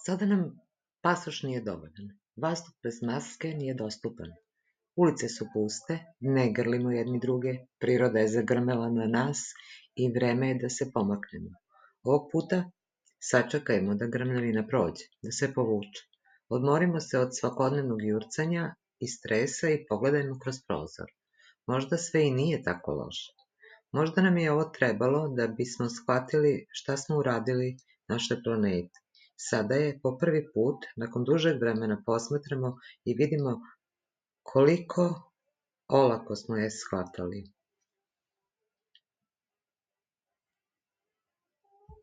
Sada nam pasoš nije dovoljan. Vazduh bez maske nije dostupan. Ulice su puste, ne grlimo jedni druge, priroda je zagrmela na nas i vreme je da se pomaknemo. Ovog puta sačekajmo da grmljavina prođe, da se povuče. Odmorimo se od svakodnevnog jurcanja i stresa i pogledajmo kroz prozor. Možda sve i nije tako loše. Možda nam je ovo trebalo da bismo shvatili šta smo uradili našoj planeti. Sada je po prvi put, nakon dužeg vremena, posmatramo i vidimo koliko olako smo je shvatali.